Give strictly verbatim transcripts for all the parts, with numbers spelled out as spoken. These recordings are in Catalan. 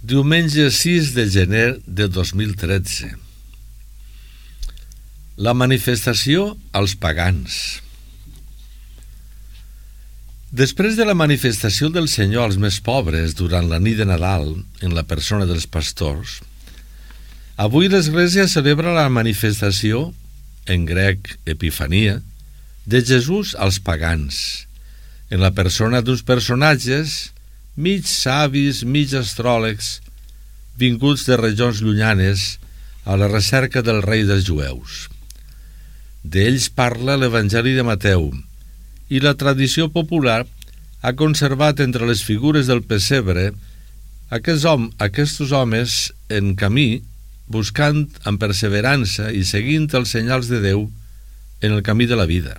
Diumenge sis de gener de dos mil tretze. La manifestació als pagans. Després de la manifestació del Senyor als més pobres durant la nit de Nadal, en la persona dels pastors, avui l'Església celebra la manifestació, en grec Epifania, de Jesús als pagans, en la persona d'uns personatges mig savis, mig astròlegs, vinguts de regions llunyanes a la recerca del rei dels jueus. D'ells parla l'Evangeli de Mateu, i la tradició popular ha conservat entre les figures del pessebre aquests, hom, aquests homes en camí, buscant amb perseverança i seguint els senyals de Déu en el camí de la vida.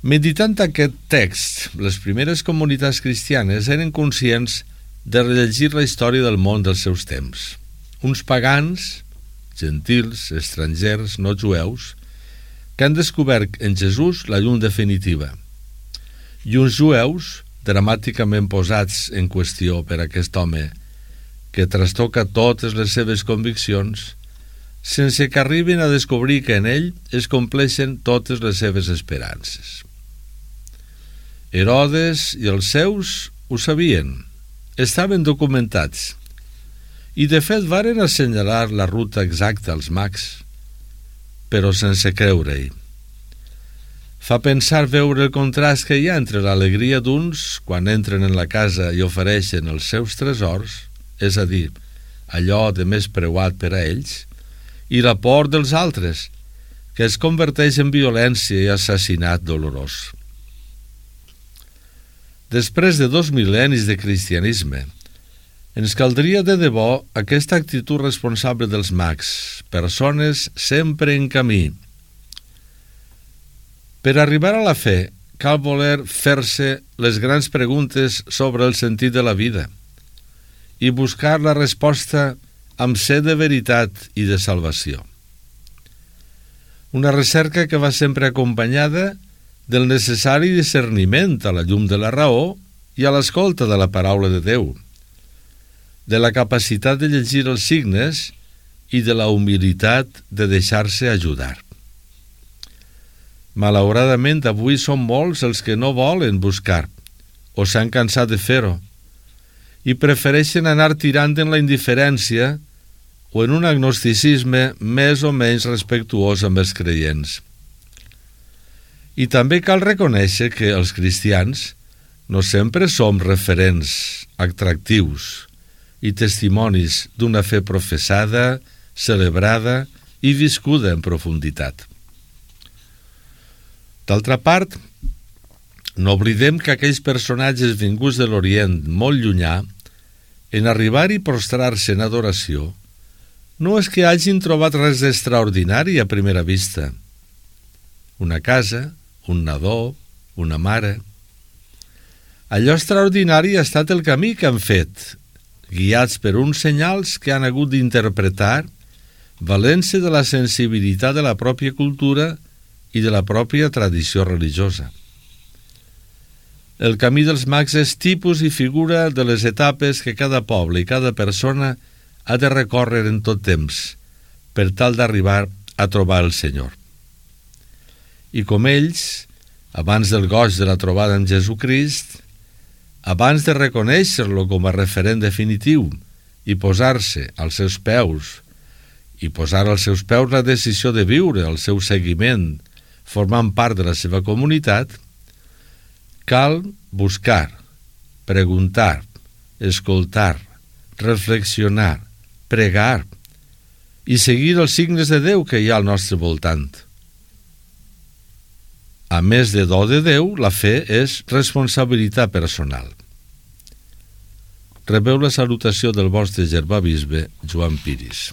Meditant aquest text, les primeres comunitats cristianes eren conscients de rellegir la història del món dels seus temps. Uns pagans, gentils, estrangers, no jueus, que han descobert en Jesús la llum definitiva, i uns jueus dramàticament posats en qüestió per aquest home que trastoca totes les seves conviccions sense que arribin a descobrir que en ell es compleixen totes les seves esperances. Herodes i els seus ho sabien, estaven documentats, i de fet varen assenyalar la ruta exacta als mags, però sense creure-hi. Fa pensar veure el contrast que hi ha entre l'alegria d'uns quan entren en la casa i ofereixen els seus tresors, és a dir, allò de més preuat per a ells, i la por dels altres, que es converteix en violència i assassinat dolorós. Després de dos mil·lennis de cristianisme, ens caldria de debò aquesta actitud responsable dels mags, persones sempre en camí. Per arribar a la fe, cal voler fer-se les grans preguntes sobre el sentit de la vida i buscar la resposta amb set de veritat i de salvació. Una recerca que va sempre acompanyada del necessari discerniment a la llum de la raó i a l'escolta de la paraula de Déu, de la capacitat de llegir els signes i de la humilitat de deixar-se ajudar. Malauradament, avui són molts els que no volen buscar o s'han cansat de fer-ho i prefereixen anar tirant en la indiferència o en un agnosticisme més o menys respectuós amb els creients. I també cal reconèixer que els cristians no sempre som referents atractius i testimonis d'una fe professada, celebrada i viscuda en profunditat. D'altra part, no oblidem que aquells personatges vinguts de l'Orient molt llunyà, en arribar i prostrar-se en adoració, no és que hagin trobat res d'extraordinari a primera vista. Una casa, un nadó, una mare. Allò extraordinari ha estat el camí que han fet, guiats per uns senyals que han hagut d'interpretar, valent-se de la sensibilitat de la pròpia cultura i de la pròpia tradició religiosa. El camí dels mags és tipus i figura de les etapes que cada poble i cada persona ha de recórrer en tot temps per tal d'arribar a trobar el Senyor. I com ells, abans del goig de la trobada amb Jesucrist, abans de reconèixer-lo com a referent definitiu i posar-se als seus peus, i posar als seus peus la decisió de viure el seu seguiment, formant part de la seva comunitat, cal buscar, preguntar, escoltar, reflexionar, pregar i seguir els signes de Déu que hi ha al nostre voltant. A més de do de Déu, la fe és responsabilitat personal. Rebeu la salutació del vostre germà bisbe Joan Piris.